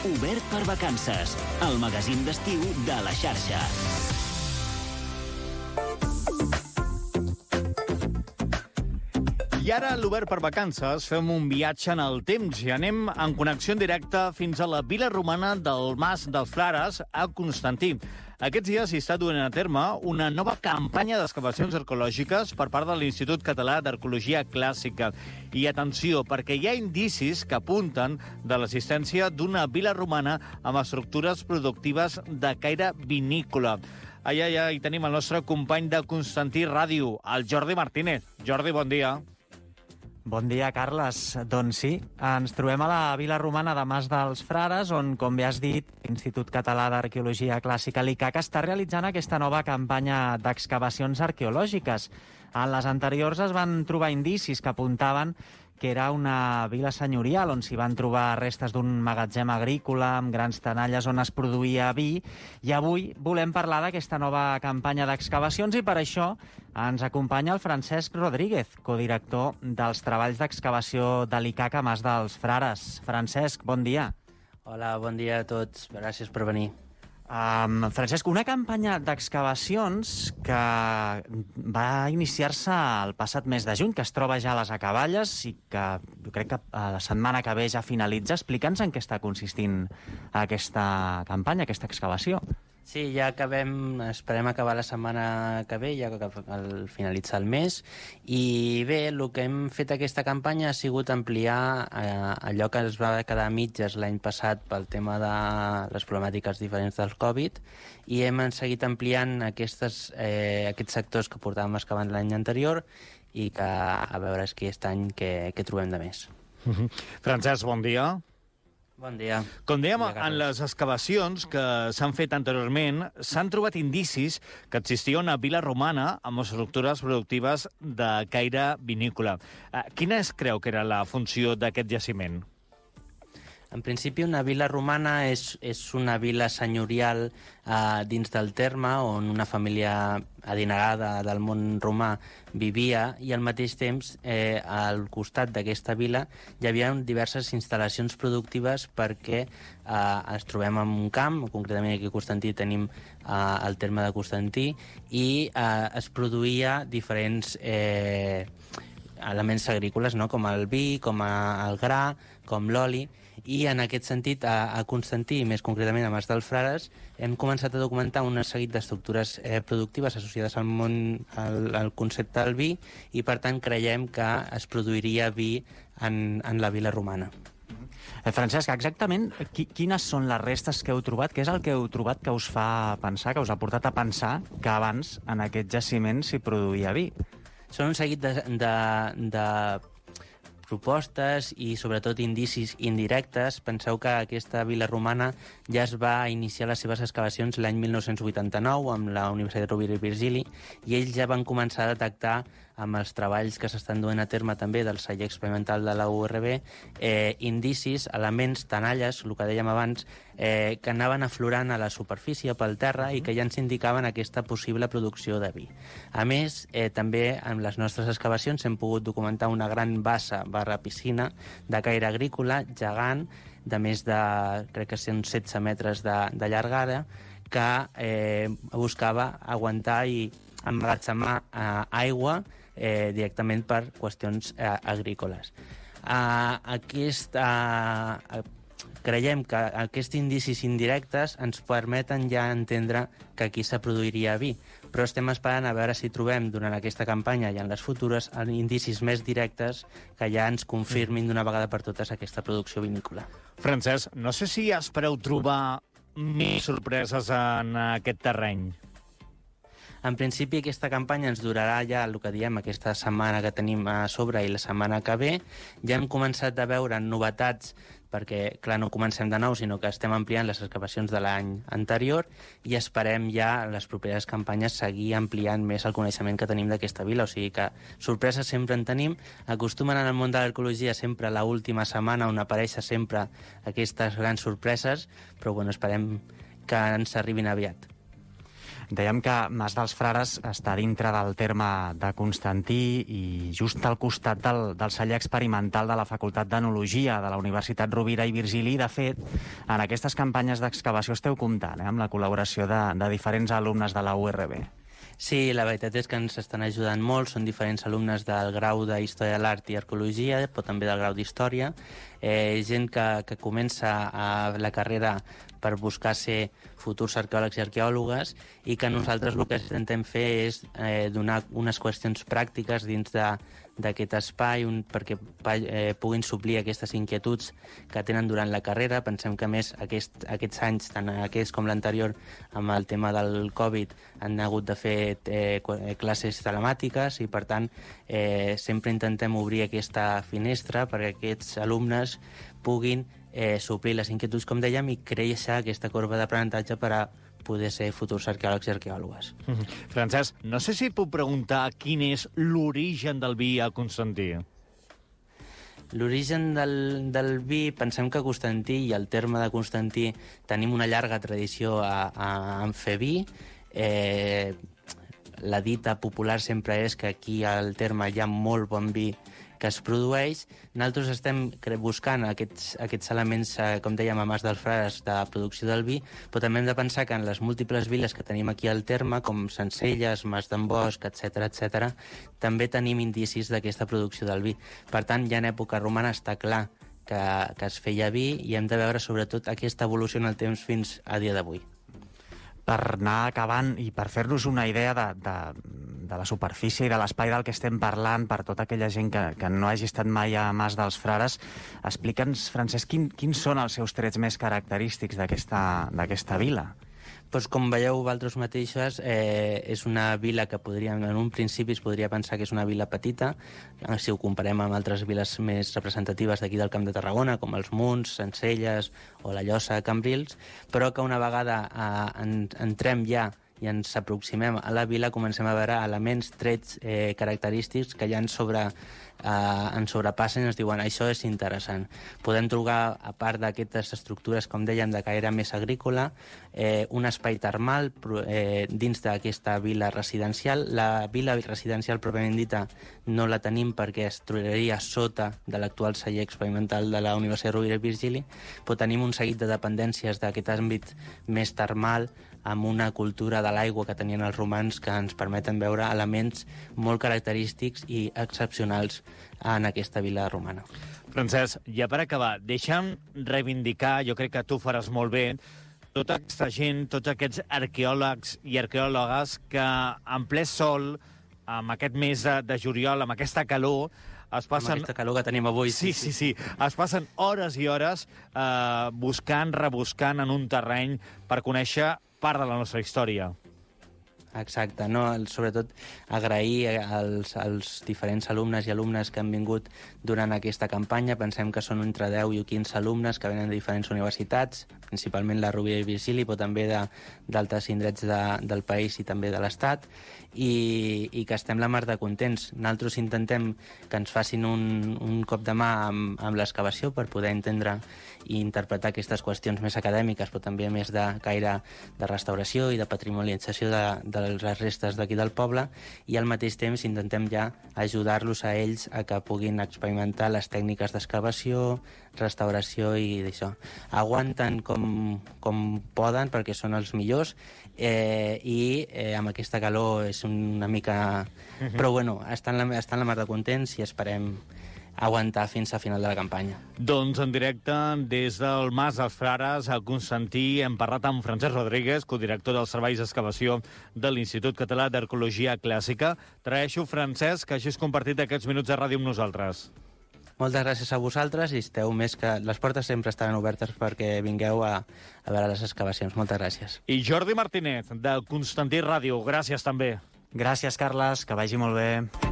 Obert per vacances, el magazín d'estiu de la xarxa. I ara, a l'Obert per vacances, fem un viatge en el temps i anem en connexió en directe fins a la vila romana del Mas dels Frares, a Constantí. Aquests dies s'hi està duent a terme una nova campanya d'excavacions arqueològiques per part de l'Institut Català d'Arqueologia Clàssica. I atenció, perquè hi ha indicis que apunten de l'existència d'una vila romana amb estructures productives de caire vinícola. Allà hi tenim el nostre company de Constantí Ràdio, el Jordi Martínez. Jordi, bon dia. Bon dia, Carles. Doncs sí, ens trobem a la vila romana de Mas dels Frares, on, com bé has dit, l'Institut Català d'Arqueologia Clàssica, l'ICAC, està realitzant aquesta nova campanya d'excavacions arqueològiques. En les anteriors es van trobar indicis que apuntaven que era una vila senyorial on s'hi van trobar restes d'un magatzem agrícola amb grans tenalles on es produïa vi, i avui volem parlar d'aquesta nova campanya d'excavacions i per això ens acompanya el Francesc Rodríguez, codirector dels treballs d'excavació de l'ICAC a Mas dels Frares. Francesc, bon dia. Hola, bon dia a tots. Gràcies per venir. Francesc, una campanya d'excavacions que va iniciar-se el passat mes de juny, que es troba ja a les acaballes i que jo crec que la setmana que ve ja finalitza. Explica'ns en què està consistint aquesta campanya, aquesta excavació. Sí, ja esperem acabar la setmana que ve, ja al finalitzar el mes. I bé, el que hem fet aquesta campanya ha sigut ampliar allò que es va quedar a mitges l'any passat pel tema de les problemàtiques diferents del Covid, i hem seguit ampliant aquests sectors que portàvem excavant l'any anterior i que a veure aquest any què trobem de més. Francesc, bon dia. Bon dia. Com dèiem, en les excavacions que s'han fet anteriorment s'han trobat indicis que existia una vila romana amb estructures productives de caire vinícola. Quina creu que era la funció d'aquest jaciment? En principi, una vila romana és una vila senyorial dins del terme on una família adinerada del món romà vivia, i al mateix temps al costat d'aquesta vila hi havia diverses instal·lacions productives perquè ens trobem en un camp, concretament aquí a Constantí tenim el terme de Constantí, i es produïa diferents elements agrícoles, no? Com el vi, com el gra, com l'oli, i en aquest sentit a Constantí, més concretament a Mas dels Frares, hem començat a documentar un seguit d'estructures productives associades al món, al concepte del vi, i per tant creiem que es produiria vi en la vila romana. Francesc, exactament quines són les restes que heu trobat? Què és el que heu trobat que us fa pensar, que us ha portat a pensar que abans en aquest jaciment s'hi produïa vi? Són un seguit de propostes i sobretot indicis indirectes. Penseu que aquesta vila romana ja es va iniciar les seves excavacions l'any 1989 amb la Universitat Rovira i Virgili, i ells ja van començar a detectar amb els treballs que s'estan duent a terme també del celler experimental de la URB indicis, elements, tenalles, el que dèiem abans, que anaven aflorant a la superfície pel terra i que ja ens indicaven aquesta possible producció de vi. A més, també en les nostres excavacions hem pogut documentar una gran bassa /piscina de caire agrícola gegant de més de, crec que són 16 metres de llargada, que buscava aguantar i emmagatzemar aigua directament per qüestions agrícoles. Creiem que aquests indicis indirectes ens permeten ja entendre que aquí se produiria vi, però estem esperant a veure si trobem durant aquesta campanya i en les futures indicis més directes que ja ens confirmin d'una vegada per totes aquesta producció vinícola. Francesc, no sé si espereu trobar més sorpreses en aquest terreny. En principi, aquesta campanya ens durarà ja el que diem aquesta setmana que tenim a sobre i la setmana que ve. Ja hem començat a veure novetats perquè, clar, no comencem de nou, sinó que estem ampliant les excavacions de l'any anterior i esperem ja en les properes campanyes seguir ampliant més el coneixement que tenim d'aquesta vila. O sigui que sorpreses sempre en tenim. Acostumen en el món de l'arqueologia sempre a l'última setmana on apareixen sempre aquestes grans sorpreses, però bueno, esperem que ens arribin aviat. Dèiem que Mas dels Frares està dintre del terme de Constantí i just al costat del celler experimental de la Facultat d'Enologia de la Universitat Rovira i Virgili. De fet, en aquestes campanyes d'excavació esteu comptant amb la col·laboració de diferents alumnes de la URB. Sí, la veritat és que ens estan ajudant molt. Són diferents alumnes del grau de Història de l'Art i Arqueologia, però també del grau d'Història. Gent que comença la carrera per buscar ser futurs arqueòlegs i arqueòlogues i que nosaltres el que intentem fer és donar unes qüestions pràctiques dins d'aquest espai perquè puguin suplir aquestes inquietuds que tenen durant la carrera. Pensem que, a més, aquests anys, tant aquests com l'anterior, amb el tema del Covid, han hagut de fer classes telemàtiques i, per tant, sempre intentem obrir aquesta finestra perquè aquests alumnes puguin suplir les inquietuds, com dèiem, i créixer aquesta corba d'aprenentatge per a poder ser futurs arqueòlegs i arqueòlogues. Francesc, no sé si et puc preguntar quin és l'origen del vi a Constantí. L'origen del vi, pensem que a Constantí i al terme de Constantí tenim una llarga tradició en fer vi. La dita popular sempre és que aquí al terme hi ha molt bon vi que es produeix. Nosaltres estem buscant aquests elements, com dèiem, a Mas dels Frares, de producció del vi, però també hem de pensar que en les múltiples viles que tenim aquí al terme, com Sencelles, Mas d'en Bosch, etc., també tenim indicis d'aquesta producció del vi. Per tant, ja en època romana està clar que es feia vi i hem de veure sobretot aquesta evolució en el temps fins a dia d'avui. Per anar acabant i per fer-nos una idea de la superfície i de l'espai del que estem parlant, per tota aquella gent que no hagi estat mai a Mas dels Frares, explica'ns, Francesc, quins són els seus trets més característics d'aquesta vila? Doncs, com veieu vosaltres mateixes, és una vila que en un principi es podria pensar que és una vila petita, si ho comparem amb altres viles més representatives d'aquí del Camp de Tarragona, com els Munts, Sencelles o la Llosa de Cambrils, però que una vegada entrem ja i ens aproximem a la vila, comencem a veure elements, trets característics que ja ens sobrepassen i ens diuen això és interessant. Podem trobar, a part d'aquestes estructures, com dèiem, de caire més agrícola, un espai termal dins d'aquesta vila residencial. La vila residencial pròpiament dita no la tenim perquè es trobaria sota de l'actual celler experimental de la Universitat Rovira i Virgili, però tenim un seguit de dependències d'aquest àmbit més termal, amb una cultura de l'aigua que tenien els romans que ens permeten veure elements molt característics i excepcionals en aquesta vila romana. Francesc, ja per acabar, deixa'm reivindicar, jo crec que tu faràs molt bé, tota aquesta gent, tots aquests arqueòlegs i arqueòlogues que en ple sol, amb aquest mes de juliol, amb aquesta calor, es passen... Amb aquesta calor que tenim avui. Sí. Es passen hores i hores buscant, rebuscant en un terreny per conèixer part de la nostra història. Exacte, no? Sobretot agrair als diferents alumnes i alumnes que han vingut durant aquesta campanya. Pensem que són entre 10 i 15 alumnes que venen de diferents universitats, principalment la Rovira i Virgili, però també d'altres indrets del país i també de l'Estat, i que estem la mar de contents. Nosaltres intentem que ens facin un cop de mà amb l'excavació per poder entendre i interpretar aquestes qüestions més acadèmiques, però també més de caire de restauració i de patrimonialització de les restes d'aquí del poble, i al mateix temps intentem ja ajudar-los a ells a que puguin experimentar les tècniques d'excavació, restauració i d'això. Aguanten com poden perquè són els millors i amb aquesta calor és una mica... Però bueno, estan la mar de contents i esperem aguantar fins al final de la campanya. Doncs en directe des del Mas dels Frares a Constantí hem parlat amb Francesc Rodríguez, codirector dels serveis d'excavació de l'Institut Català d'Arqueologia Clàssica. T'agraeixo, Francesc, que hagis compartit aquests minuts de ràdio amb nosaltres. Moltes gràcies a vosaltres i esteu més que... Les portes sempre estaran obertes perquè vingueu a veure les excavacions. Moltes gràcies. I Jordi Martínez, de Constantí Ràdio. Gràcies també. Gràcies, Carles, que vagi molt bé.